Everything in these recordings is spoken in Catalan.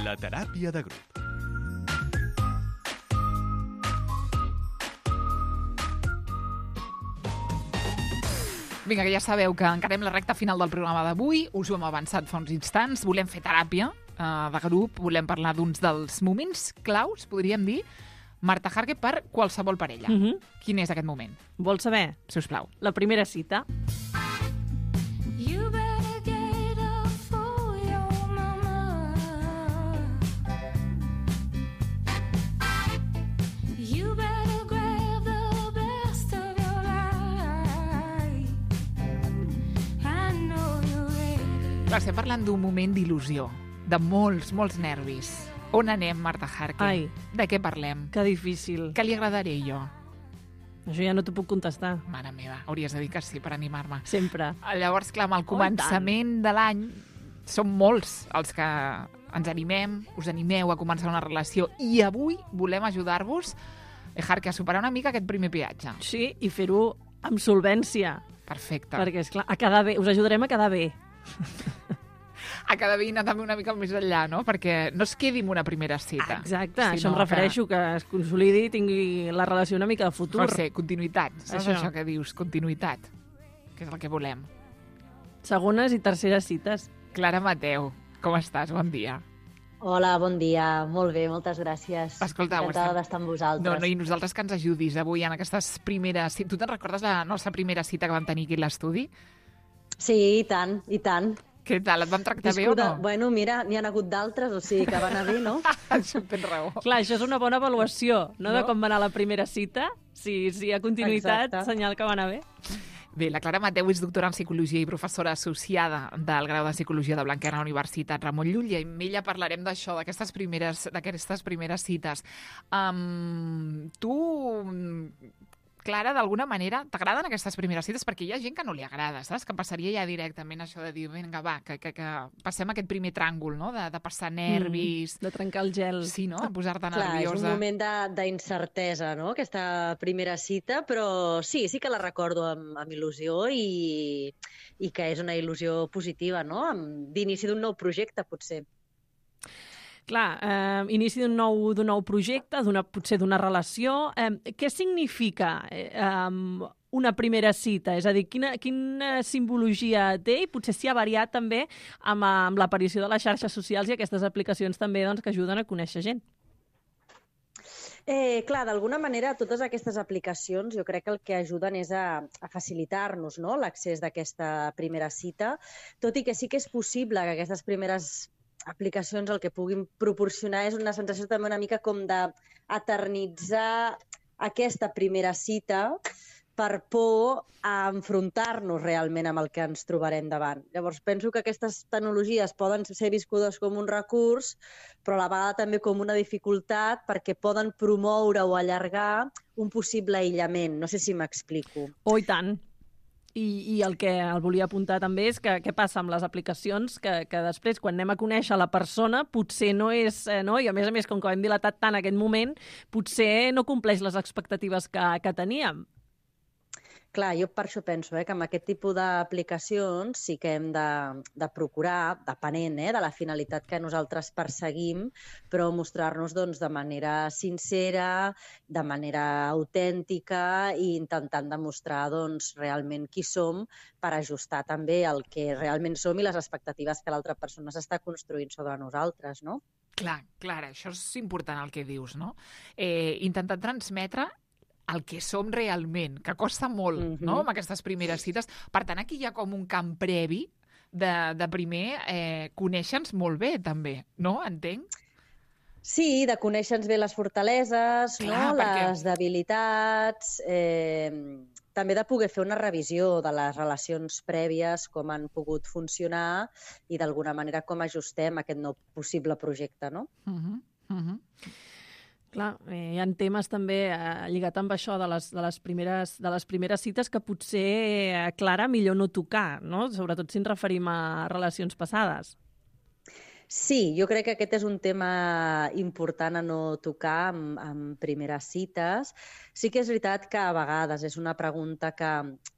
La teràpia de grup. Vinga, que ja sabeu que encarem la recta final del programa d'avui. Us ho hem avançat fa uns instants. Volem fer teràpia de grup. Volem parlar d'uns dels moments claus, podríem dir, Marta Harque, per qualsevol parella. Quin és aquest moment? Vols saber? Sisplau. La primera cita. Clar, estem parlant d'un moment d'il·lusió, de molts, molts nervis. On anem, Marta Harque? Ai. De què parlem? Que difícil. Què li agradaré jo? Això ja no t'ho puc contestar. Mare meva, hauries de dir que sí per animar-me. Sempre. Llavors, clar, amb el començament de l'any som molts els que ens animem, us animeu a començar una relació i avui volem ajudar-vos, Harque, a superar una mica aquest primer peatge. Sí, i fer-ho amb solvència. Perfecte. Perquè, esclar, a quedar bé. Us ajudarem a quedar bé. A cada veïna també una mica més enllà, no? Perquè no es quedi en una primera cita. Exacte, això em refereixo, que es consolidi i tingui la relació una mica de futur. Pot ser, continuïtat. Saps això que dius? Continuïtat. Que és el que volem. Segones i terceres cites. Clara Mateu, com estàs? Bon dia. Hola, bon dia. Molt bé, moltes gràcies. Escolta, encantada d'estar amb vosaltres. No, i nosaltres que ens ajudis avui en aquestes primeres... Tu te'n recordes la nostra primera cita que vam tenir aquí a l'estudi? Sí, i tant, i tant. Què tal? Et vam tractar bé o no? Bueno, mira, n'hi ha hagut d'altres, o sigui que va anar bé, no? Tens raó. Clar, això és una bona avaluació, no? De com va anar la primera cita. Si hi ha continuïtat, exacte. Senyal que va anar bé. Bé, la Clara Mateu és doctora en Psicologia i professora associada del grau de Psicologia de Blanquerna a la Universitat Ramon Llull, i amb ella parlarem d'això, d'aquestes primeres cites. Tu, Clara, d'alguna manera, t'agraden aquestes primeres cites? Perquè hi ha gent que no li agrada, saps? Que passaria ja directament això de dir, vinga, va, que passem aquest primer tràngol, no? De passar nervis... De trencar el gel. Sí, no? Posar-te nerviosa. Clar, és un moment d'incertesa, no?, aquesta primera cita, però sí que la recordo amb il·lusió i que és una il·lusió positiva, no?, d'inici d'un nou projecte, potser. Clar, inici d'un nou projecte, potser d'una relació. Què significa una primera cita? És a dir, quina simbologia té? I potser s'hi ha variat també amb l'aparició de les xarxes socials i aquestes aplicacions també que ajuden a conèixer gent. Clar, d'alguna manera, totes aquestes aplicacions jo crec que el que ajuden és a facilitar-nos, no?, l'accés d'aquesta primera cita, tot i que sí que és possible que aquestes primeres aplicacions el que puguin proporcionar és una sensació també una mica com d'eternitzar aquesta primera cita per por a enfrontar-nos realment amb el que ens trobarem davant. Llavors, penso que aquestes tecnologies poden ser viscudes com un recurs, però a la vegada també com una dificultat perquè poden promoure o allargar un possible aïllament. No sé si m'explico. Oh, i tant. I el que el volia apuntar també és que què passa amb les aplicacions, que després, quan anem a conèixer la persona, potser no és... no? I a més, com que ho hem dilatat tant aquest moment, potser no compleix les expectatives que teníem. Clar, jo per això penso que amb aquest tipus d'aplicacions sí que hem de procurar, depenent de la finalitat que nosaltres perseguim, però mostrar-nos de manera sincera, de manera autèntica i intentant demostrar realment qui som per ajustar també el que realment som i les expectatives que l'altra persona s'està construint sobre nosaltres, no? Clar, això és important el que dius, no? Intentar transmetre el que som realment, que costa molt, no?, amb aquestes primeres cites. Per tant, aquí hi ha com un camp previ de primer conèixer-nos molt bé, també, no? Entenc? Sí, de conèixer-nos bé les fortaleses, clar, no? Les debilitats, també de poder fer una revisió de les relacions prèvies, com han pogut funcionar i d'alguna manera com ajustem aquest nou possible projecte, no? Clar, hi ha temes també lligat amb això de les primeres cites que potser, Clara, millor no tocar, no? Sobretot si ens referim a relacions passades. Sí, jo crec que aquest és un tema important a no tocar en primeres cites. Sí que és veritat que a vegades és una pregunta que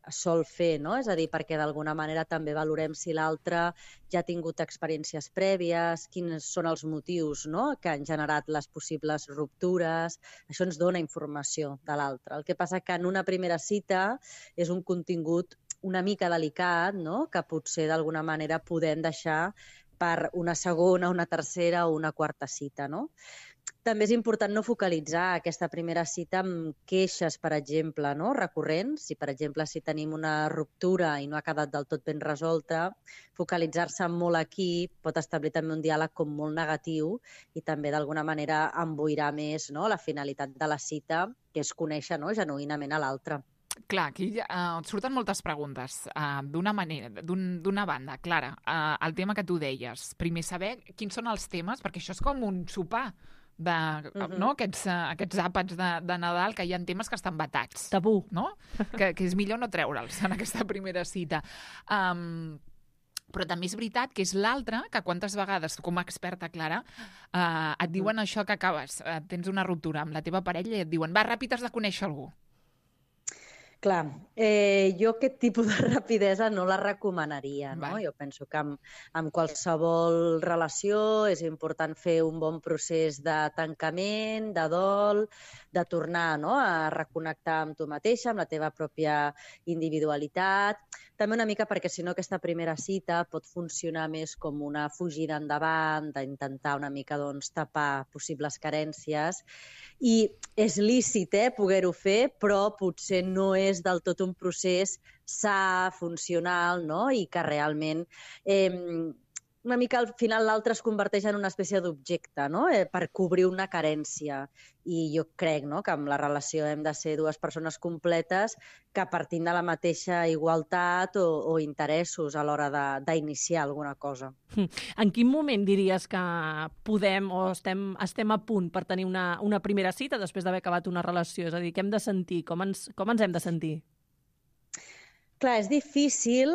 es sol fer, no? És a dir, perquè d'alguna manera també valorem si l'altre ja ha tingut experiències prèvies, quins són els motius, no?, que han generat les possibles ruptures. Això ens dona informació de l'altre. El que passa que en una primera cita és un contingut una mica delicat, no?, que potser d'alguna manera podem deixar per una segona, una tercera o una quarta cita, no? També és important no focalitzar aquesta primera cita amb queixes, per exemple, no?, recurrents. Si, per exemple, si tenim una ruptura i no ha quedat del tot ben resolta, focalitzar-se molt aquí pot establir també un diàleg com molt negatiu i també d'alguna manera emboirar més, no?, la finalitat de la cita, que és conèixer, no?, genuïnament a l'altre. Clar, aquí et surten moltes preguntes. D'una banda, Clara, el tema que tu deies. Primer, saber quins són els temes, perquè això és com un sopar no? Aquests àpats de Nadal, que hi ha temes que estan vetats. Tabú. No? Que és millor no treure'ls en aquesta primera cita. Però també és veritat que és l'altre que quantes vegades, com a experta, Clara, et diuen això que acabes, tens una ruptura amb la teva parella i et diuen, va, ràpid, has de conèixer algú. Clar, jo aquest tipus de rapidesa no la recomanaria, no? Jo penso que amb qualsevol relació és important fer un bon procés de tancament, de dol, de tornar, no?, a reconnectar amb tu mateixa, amb la teva pròpia individualitat. També una mica perquè, si no, aquesta primera cita pot funcionar més com una fugida endavant, d'intentar una mica, doncs, tapar possibles carències. I és lícit, poder-ho fer, però potser no és del tot un procés sa, funcional, no?, i que realment una mica al final l'altre es converteix en una espècie d'objecte, no?, per cobrir una carència. I jo crec, no?, que amb la relació hem de ser dues persones completes que partim de la mateixa igualtat o interessos a l'hora d'iniciar alguna cosa. En quin moment diries que podem o estem a punt per tenir una primera cita després d'haver acabat una relació? És a dir, què hem de sentir? Com ens hem de sentir? Clar, és difícil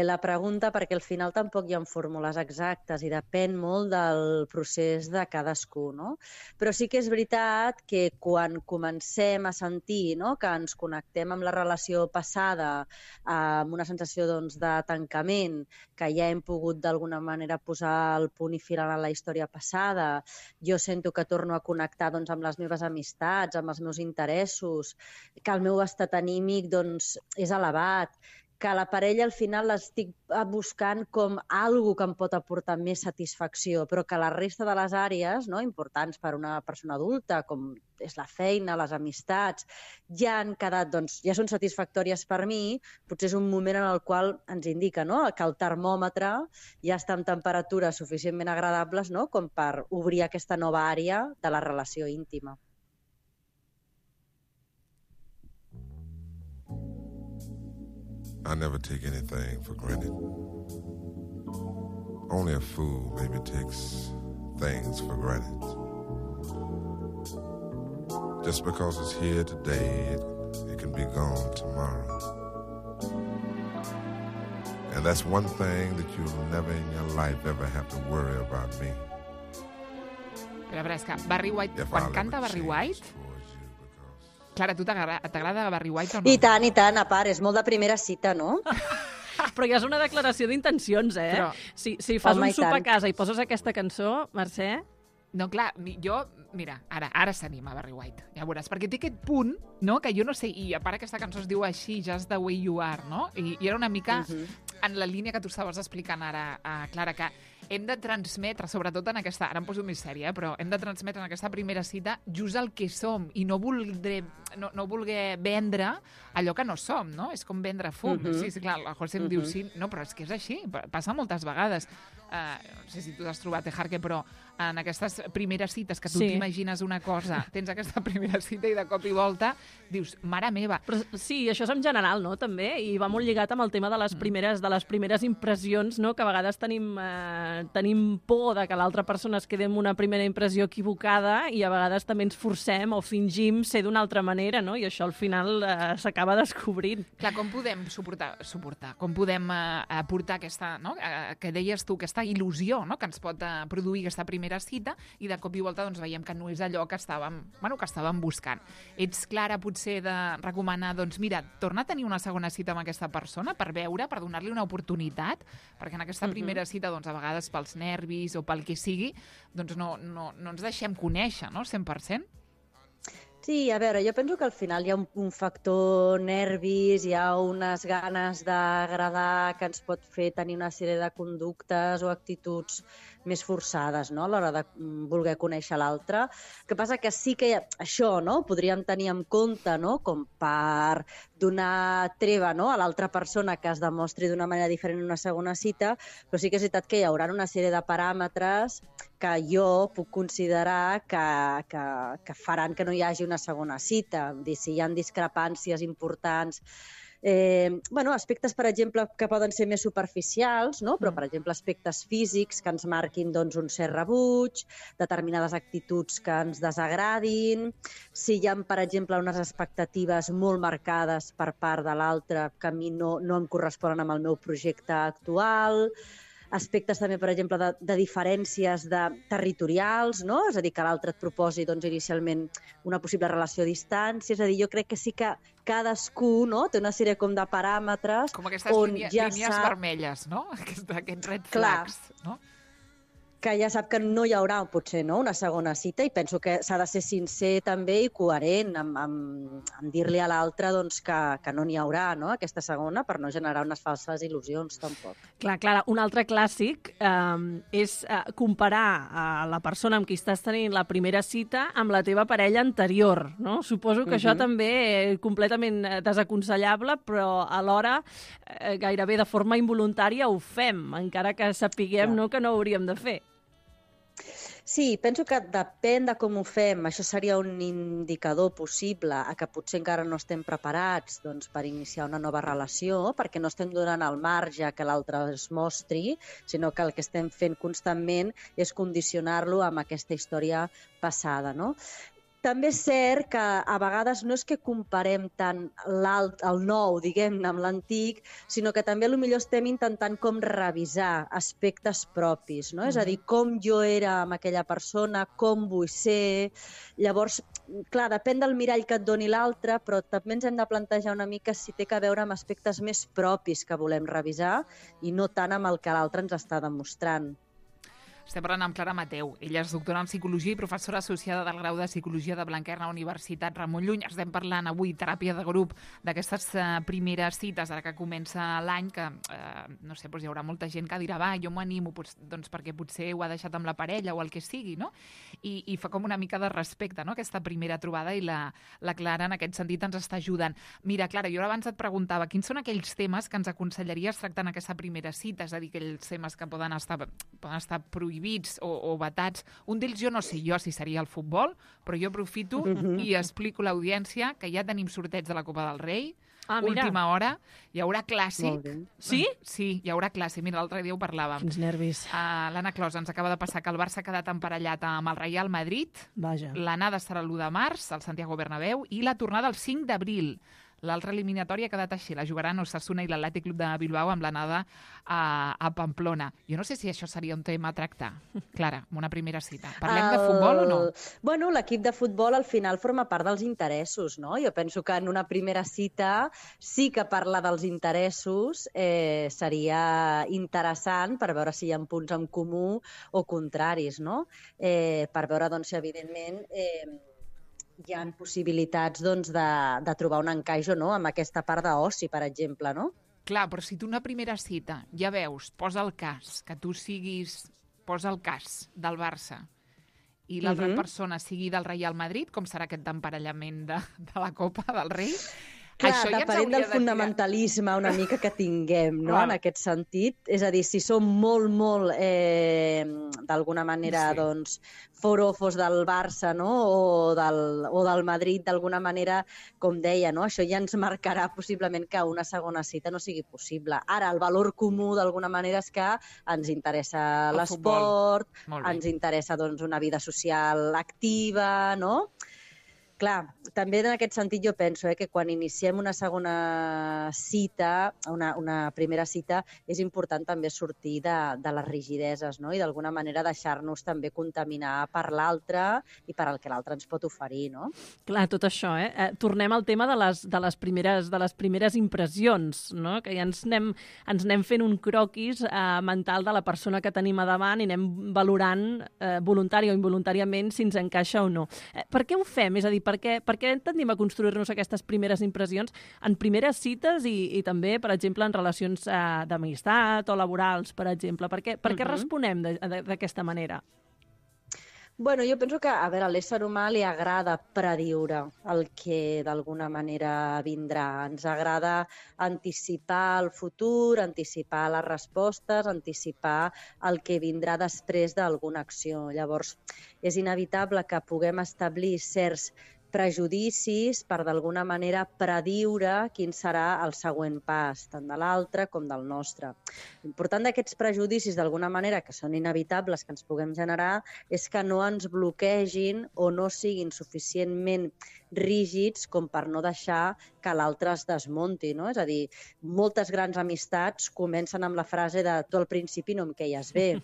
la pregunta perquè al final tampoc hi ha fórmules exactes i depèn molt del procés de cadascú, no? Però sí que és veritat que quan comencem a sentir, no?, que ens connectem amb la relació passada, amb una sensació, doncs, de tancament, que ja hem pogut d'alguna manera posar el punt i final a la història passada, jo sento que torno a connectar, doncs, amb les meves amistats, amb els meus interessos, que el meu estat anímic, doncs, és elevat, que la parella al final l'estic buscant com algo que em pot aportar més satisfacció, però que la resta de les àrees, no?, importants per a una persona adulta, com és la feina, les amistats, ja han quedat, doncs, ja són satisfactòries per mi. Potser és un moment en el qual ens indica, no?, que el termòmetre ja està en temperatures suficientment agradables, no?, com per obrir aquesta nova àrea de la relació íntima. I never take anything for granted. Only a fool maybe takes things for granted. Just because it's here today, it can be gone tomorrow. And that's one thing that you'll never in your life ever have to worry about me. Però és que Barry White, quan canta Barry White... Clara, tu t'agrada Barry White o no? I tant, a part, és molt de primera cita, no? Però ja és una declaració d'intencions, Però... Si fas un sopar a casa i poses aquesta cançó, Mercè... No, clar, mira, ara s'anima Barry White, ja veuràs, perquè té aquest punt, no?, que jo no sé, i a part aquesta cançó es diu així, Just the way you are, no? I era una mica en la línia que tu estaves explicant ara, Clara, que hem de transmetre, sobretot en aquesta... Ara em poso més sèria, però hem de transmetre en aquesta primera cita just el que som i no voler vendre allò que no som, no? És com vendre fum. Sí, clar, la José em diu sí, no, però és que és així, passa moltes vegades. No sé si tu t'has trobat, Jarque, però en aquestes primeres cites que tu t'imagines una cosa, tens aquesta primera cita i de cop i volta dius, mare meva. Però sí, això és en general, no?, també, i va molt lligat amb el tema de les primeres impressions, no?, que a vegades tenim por de que l'altra persona es quedi amb una primera impressió equivocada i a vegades també ens forcem o fingim ser d'una altra manera, no?, i això al final s'acaba descobrint. Clar, com podem suportar, com podem aportar aquesta, no?, que deies tu, aquesta aquesta il·lusió, no?, que ens pot produir aquesta primera cita, i de cop i volta doncs, veiem que no és allò que estàvem buscant. Ets clara, potser, de recomanar, doncs mira, torna a tenir una segona cita amb aquesta persona per veure, per donar-li una oportunitat, perquè en aquesta primera cita, doncs, a vegades pels nervis o pel que sigui, doncs no ens deixem conèixer, no?, 100%. Sí, a veure, jo penso que al final hi ha un factor nervis, hi ha unes ganes d'agradar que ens pot fer tenir una sèrie de conductes o actituds més forçades, no?, a l'hora de voler conèixer l'altre. El que passa que sí que això, no?, podríem tenir en compte, no?, com per donar treva, no?, a l'altra persona que es demostri d'una manera diferent en una segona cita, però sí que és veritat que hi haurà una sèrie de paràmetres que jo puc considerar que faran que no hi hagi una segona cita. Vull dir, si hi ha discrepàncies importants, aspectes, per exemple, que poden ser més superficials, no? Però, per exemple, aspectes físics que ens marquin doncs, un cert rebuig, determinades actituds que ens desagradin, si hi ha, per exemple, unes expectatives molt marcades per part de l'altre que a mi no em corresponen amb el meu projecte actual, aspectes també, per exemple, de diferències territorials, no? És a dir, que l'altre et proposi doncs, inicialment una possible relació a distància. És a dir, jo crec que sí que cadascú, no?, té una sèrie com de paràmetres com aquestes línies vermelles, no? Aquests red flags, no? Que ja sap que no hi haurà, potser, no?, una segona cita, i penso que s'ha de ser sincer també i coherent amb dir-li a l'altre doncs, que no n'hi haurà, no?, aquesta segona, per no generar unes falses il·lusions, tampoc. Clar, Clara, un altre clàssic és comparar la persona amb qui estàs tenint la primera cita amb la teva parella anterior, no? Suposo que això també és completament desaconsellable, però alhora gairebé de forma involuntària ho fem, encara que sapiguem que no ho hauríem de fer. Sí, penso que depèn de com ho fem. Això seria un indicador possible a que potser encara no estem preparats doncs, per iniciar una nova relació, perquè no estem donant el marge que l'altre es mostri, sinó que el que estem fent constantment és condicionar-lo amb aquesta història passada, no? També és cert que a vegades no és que comparem tant el nou, diguem-ne, amb l'antic, sinó que també potser estem intentant com revisar aspectes propis, no? És a dir, com jo era amb aquella persona, com vull ser. Llavors, clar, depèn del mirall que et doni l'altre, però també ens hem de plantejar una mica si té a veure amb aspectes més propis que volem revisar i no tant amb el que l'altre ens està demostrant. Estem parlant amb Clara Mateu. Ella és doctora en Psicologia i professora associada del grau de Psicologia de Blanquerna, Universitat Ramon Llull. Estem parlant avui, teràpia de grup, d'aquestes primeres cites, ara que comença l'any, que, no sé, doncs hi haurà molta gent que dirà, va, jo m'ho animo, doncs perquè potser ho ha deixat amb la parella o el que sigui, no? I fa com una mica de respecte, no?, aquesta primera trobada, i la Clara en aquest sentit ens està ajudant. Mira, Clara, jo abans et preguntava quins són aquells temes que ens aconsellaries tractar en aquesta primera cita, és a dir, aquells temes que poden estar prohibits o vetats. Un d'ells jo no sé si seria el futbol, però jo aprofito i explico a l'audiència que ja tenim sorteig de la Copa del Rei, última hora, hi haurà clàssic. Sí? Sí, hi haurà clàssic. Mira, l'altre dia ho parlàvem. Quins nervis. L'Anna Clos ens acaba de passar que el Barça ha quedat emparellat amb el Real Madrid. Vaja. L'anada serà l'1 de març, al Santiago Bernabéu, i la tornada el 5 d'abril. L'altra eliminatòria ha quedat així. La jugaran Osasuna i l'Atlètic Club de Bilbao amb l'anada a Pamplona. Jo no sé si això seria un tema a tractar, Clara, en una primera cita. Parlem de futbol o no? Bueno, l'equip de futbol al final forma part dels interessos, no? Jo penso que en una primera cita sí que parlar dels interessos seria interessant per veure si hi ha punts en comú o contraris, no? Per veure, doncs, si evidentment hi ha possibilitats doncs, de trobar un encaix o no amb aquesta part d'oci, per exemple, no? Clar, però si tu una primera cita ja veus, posa el cas, que tu siguis, posa el cas del Barça i l'altra persona sigui del Real Madrid, com serà aquest emparellament de la Copa del Rei? Clar, depenent del fonamentalisme una mica que tinguem, no?, en aquest sentit. És a dir, si som molt, d'alguna manera, doncs, forofos del Barça, no?, o del Madrid, d'alguna manera, com deia, no?, això ja ens marcarà possiblement que una segona cita no sigui possible. Ara, el valor comú, d'alguna manera, és que ens interessa l'esport, ens interessa, doncs, una vida social activa, no?, Clar, també en aquest sentit jo penso que quan iniciem una segona cita, una primera cita, és important també sortir de les rigideses, no? I d'alguna manera deixar-nos també contaminar per l'altre i per al que l'altre ens pot oferir, no? Clar, tot això, tornem al tema de les primeres impressions, no? Que ja ens anem fent un croquis mental de la persona que tenim a davant i anem valorant voluntari o involuntàriament si ens encaixa o no. Per què ho fem? És a dir, per què tendim a construir-nos aquestes primeres impressions en primeres cites i també, per exemple, en relacions d'amistat o laborals, per exemple? Per què responem d'aquesta manera? Bueno, jo penso que, a l'ésser humà li agrada prediure el que d'alguna manera vindrà. Ens agrada anticipar el futur, anticipar les respostes, anticipar el que vindrà després d'alguna acció. Llavors, és inevitable que puguem establir certs prejudicis per d'alguna manera prediure quin serà el següent pas, tant de l'altre com del nostre. L'important d'aquests prejudicis, d'alguna manera, que són inevitables que ens puguem generar, és que no ens bloquegin o no siguin suficientment rígids com per no deixar que l'altre es desmunti, no? És a dir, moltes grans amistats comencen amb la frase de tu al principi no em queies bé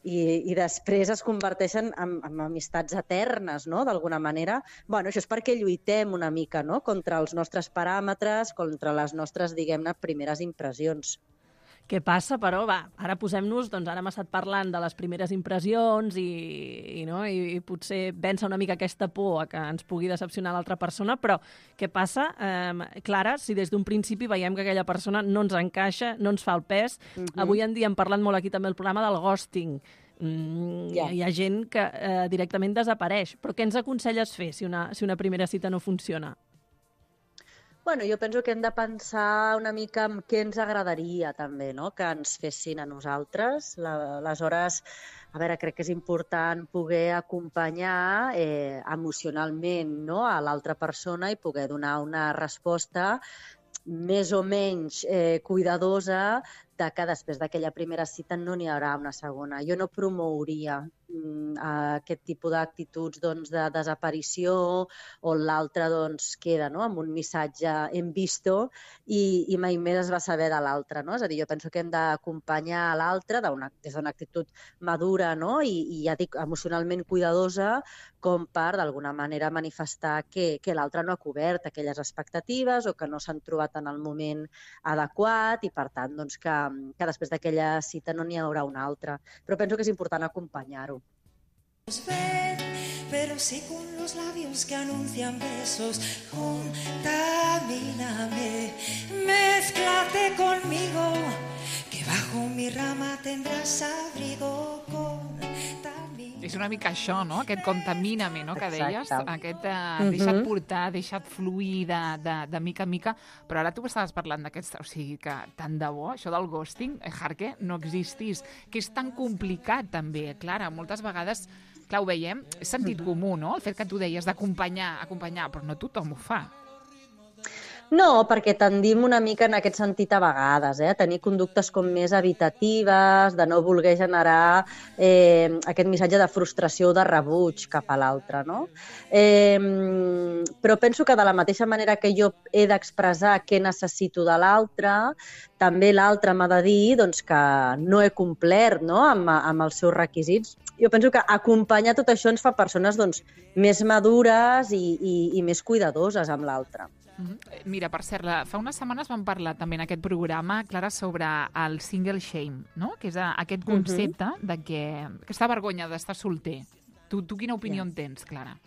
i després es converteixen en amistats eternes, no? D'alguna manera. Bueno, això és perquè lluitem una mica, no? Contra els nostres paràmetres, contra les nostres, diguem-ne, primeres impressions. Què passa, però? Ara posem-nos, doncs ara hem estat parlant de les primeres impressions i potser vèncer una mica aquesta por a que ens pugui decepcionar l'altra persona, però què passa, Clara, si des d'un principi veiem que aquella persona no ens encaixa, no ens fa el pes? Avui en dia hem parlat molt aquí també al programa del ghosting. Hi ha gent que directament desapareix, però què ens aconselles fer si una primera cita no funciona? Bueno, jo penso que hem de pensar una mica en què ens agradaria també, no? Que ens fessin a nosaltres. Aleshores, crec que és important poder acompanyar emocionalment, no? A l'altra persona i poder donar una resposta més o menys cuidadosa de que després d'aquella primera cita no n'hi haurà una segona. Jo no promouria aquest tipus d'actituds de desaparició on l'altre queda amb un missatge hem visto i mai més es va saber de l'altre. No? És a dir, jo penso que hem d'acompanyar l'altre des d'una actitud madura i ja dic, emocionalment cuidadosa com per d'alguna manera manifestar que l'altre no ha cobert aquelles expectatives o que no s'han trobat en el moment adequat i per tant que després d'aquella cita no n'hi haurà una altra. Però penso que és important acompanyar-ho. Pero sí con los labios que anuncian besos, contamíname, mézclate conmigo, que bajo mi rama tendrás abrigo, És una mica això, no? Aquest contamíname, no? Que deies, aquest deixa't portar, deixa't fluir de mica en mica, però ara tu estaves parlant d'aquest, o sigui que tant de bo, això del ghosting, Jarque, no existís, que és tan complicat també, Clara, moltes vegades, clar, ho veiem, és sentit comú, no? El fet que tu deies d'acompanyar, però no tothom ho fa. No, perquè tendim una mica en aquest sentit a vegades, a tenir conductes com més evitatives, de no voler generar aquest missatge de frustració o de rebuig cap a l'altre, no? Però penso que de la mateixa manera que jo he d'expressar què necessito de l'altre, també l'altre m'ha de dir que no he complert amb els seus requisits. Jo penso que acompanyar tot això ens fa persones més madures i més cuidadoses amb l'altre. Mira, per cert, fa unes setmanes vam parlar també en aquest programa, Clara, sobre el single shame, no? Que és aquest concepte de que aquesta vergonya d'estar solter. Tu quina opinió en tens, Clara?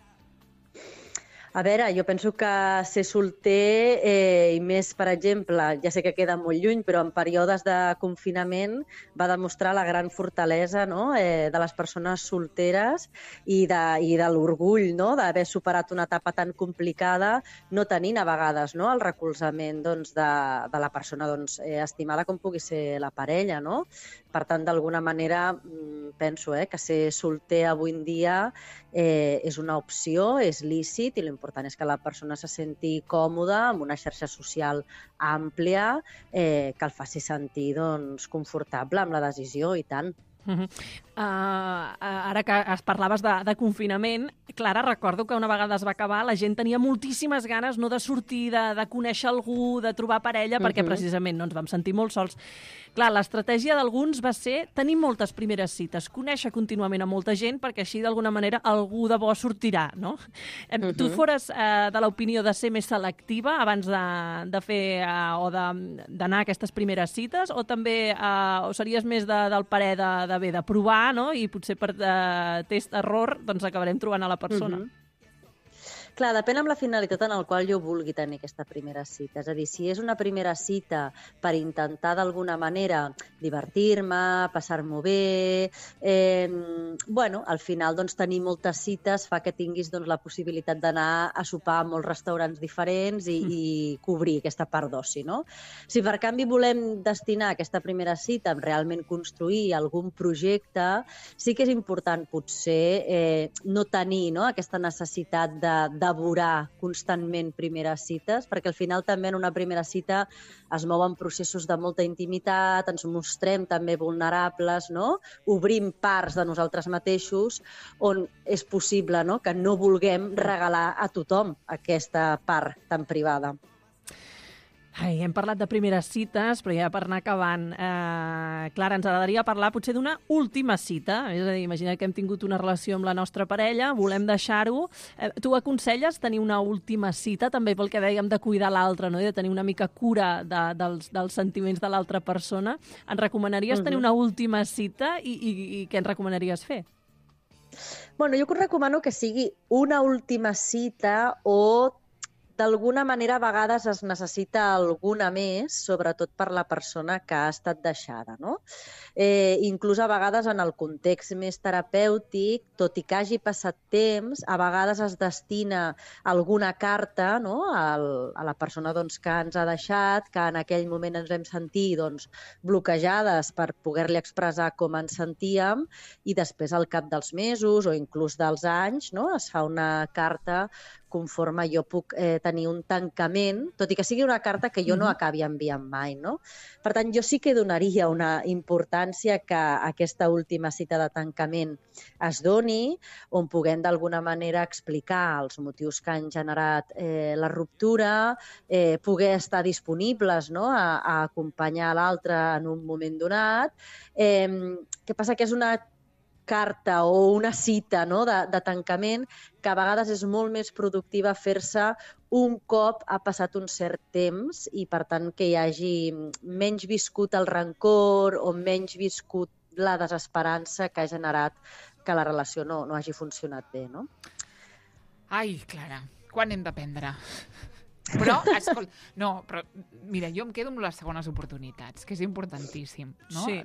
A veure, jo penso que ser solter i més, per exemple, ja sé que queda molt lluny, però en períodes de confinament va demostrar la gran fortalesa de les persones solteres i de l'orgull d'haver superat una etapa tan complicada, no tenint a vegades el recolzament de la persona estimada com pugui ser la parella. No? Per tant, d'alguna manera, penso que ser solter avui en dia és una opció, és lícit i l'important és que la persona se senti còmoda amb una xarxa social àmplia que el faci sentir confortable amb la decisió i tant. Ara que es parlaves de confinament, Clara, recordo que una vegada es va acabar la gent tenia moltíssimes ganes no de sortir, de conèixer algú, de trobar parella, perquè precisament no ens vam sentir molt sols. Clar, l'estratègia d'alguns va ser tenir moltes primeres cites, conèixer contínuament a molta gent, perquè així d'alguna manera algú de bo sortirà, no? Tu fores de l'opinió de ser més selectiva abans de fer o d'anar a aquestes primeres cites, o també o series més del parer de provar, no? I potser per test-error doncs acabarem trobant a la persona. Clar, depèn amb la finalitat en la qual jo vulgui tenir aquesta primera cita. És a dir, si és una primera cita per intentar d'alguna manera divertir-me, passar-m'ho bé, al final doncs, tenir moltes cites fa que tinguis doncs, la possibilitat d'anar a sopar a molts restaurants diferents i cobrir aquesta part d'oci, no? Si per canvi volem destinar aquesta primera cita a realment construir algun projecte, sí que és important potser no tenir aquesta necessitat de devorar constantment primeres cites, perquè al final també en una primera cita es mouen processos de molta intimitat, ens mostrem també vulnerables, no? Obrim parts de nosaltres mateixos on és possible que no vulguem regalar a tothom aquesta part tan privada. Hem parlat de primeres cites, però ja per anar acabant, Clara, ens agradaria parlar potser d'una última cita. És a dir, imagina que hem tingut una relació amb la nostra parella, volem deixar-ho. Tu aconselles tenir una última cita, també pel que dèiem de cuidar l'altre, no? De tenir una mica cura dels sentiments de l'altra persona. Ens recomanaries tenir una última cita i què ens recomanaries fer? Bueno, jo recomano que sigui una última cita o d'alguna manera a vegades es necessita alguna més, sobretot per la persona que ha estat deixada, no? Inclús a vegades en el context més terapèutic, tot i que hagi passat temps, a vegades es destina alguna carta, no? A la persona que ens ha deixat, que en aquell moment ens vam sentir bloquejades per poder-li expressar com ens sentíem, i després al cap dels mesos o inclús dels anys es fa una carta conforme jo puc tenir un tancament, tot i que sigui una carta que jo no acabi enviant mai, no? Per tant, jo sí que donaria una importància que aquesta última cita de tancament es doni, on puguem d'alguna manera explicar els motius que han generat la ruptura, poder estar disponibles a acompanyar l'altre en un moment donat. Què passa? Que és una carta o una cita de tancament que a vegades és molt més productiva fer-se un cop ha passat un cert temps i, per tant, que hi hagi menys viscut el rancor o menys viscut la desesperança que ha generat que la relació no hagi funcionat bé, no? Ai, Clara, quan hem d'aprendre? Però, escolta, però mira, jo em quedo amb les segones oportunitats, que és importantíssim, no? Sí.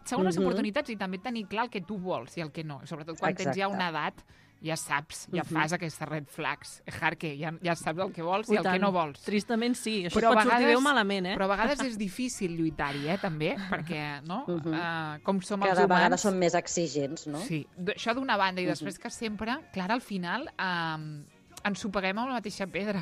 Segones oportunitats i també tenir clar el que tu vols i el que no. Sobretot quan tens ja una edat, ja saps, ja fas aquestes red flags. Jarque, ja saps el que vols i el que no vols. Tristament sí, això pot sortir bé o malament, Però a vegades és difícil lluitar-hi, també, perquè, no? Com som els humans... Cada vegada som més exigents, no? Sí, això d'una banda, i després que sempre, Clara, al final, ens ho paguem amb la mateixa pedra.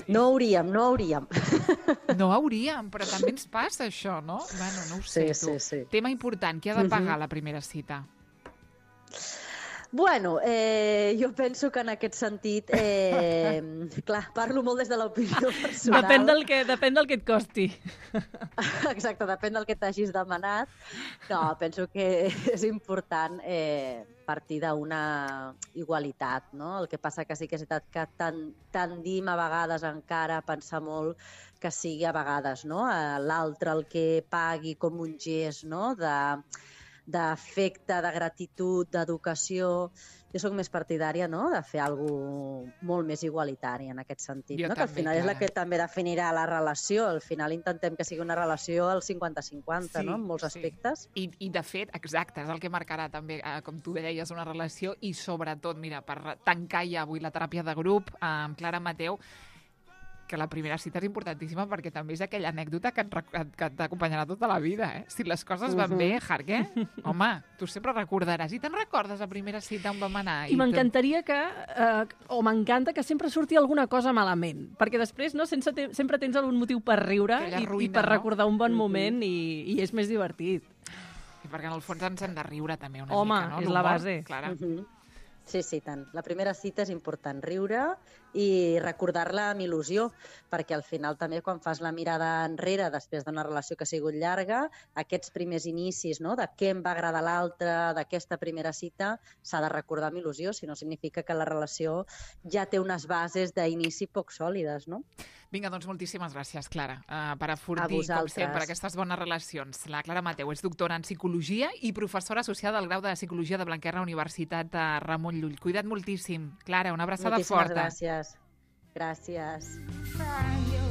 No hauríem. No hauríem, però també ens passa això, no? Bueno, no ho sé, tu. Sí. Tema important, qui ha de pagar la primera cita? Bueno, jo penso que en aquest sentit, clar, parlo molt des de l'opinió personal. Depèn del que et costi. Exacte, depèn del que t'hagis demanat. No, penso que és important partir d'una igualitat, no? El que passa que sí que és veritat que tendim a vegades encara a pensar molt que sigui a vegades l'altre el que pagui com un gest d'afecte, de gratitud, d'educació. Jo sóc més partidària de fer alguna cosa molt més igualitari en aquest sentit, que al final és la que també definirà la relació. Al final intentem que sigui una relació al 50-50, en molts aspectes. I de fet, exacte, és el que marcarà també, com tu deies, una relació i sobretot, mira, per tancar ja avui la teràpia de grup amb Clara Mateu, que la primera cita és importantíssima perquè també és aquella anècdota que t'acompanyarà tota la vida, Si les coses van bé, Jarque, home, tu sempre recordaràs. I te'n recordes la primera cita on vam anar? I m'encantaria m'encanta que sempre surti alguna cosa malament, perquè després sempre tens algun motiu per riure i per recordar un bon moment i és més divertit. Sí, perquè en el fons ens hem de riure també una Home, mica, no? és la L'humor, base. Clara. Sí, sí, tant. La primera cita és important, riure i recordar-la amb il·lusió, perquè al final també quan fas la mirada enrere després d'una relació que ha sigut llarga, aquests primers inicis, no?, de què em va agradar l'altre, d'aquesta primera cita, s'ha de recordar amb il·lusió, si no significa que la relació ja té unes bases d'inici poc sòlides, no? Vinga, doncs moltíssimes gràcies, Clara, per A afortir, com vosaltres. sempre, aquestes bones relacions. La Clara Mateu és doctora en Psicologia i professora associada al grau de Psicologia de Blanquerna, Universitat de Ramon Llull. Cuida't moltíssim. Clara, una abraçada Moltíssimes forta. gràcies. Gràcies. Find your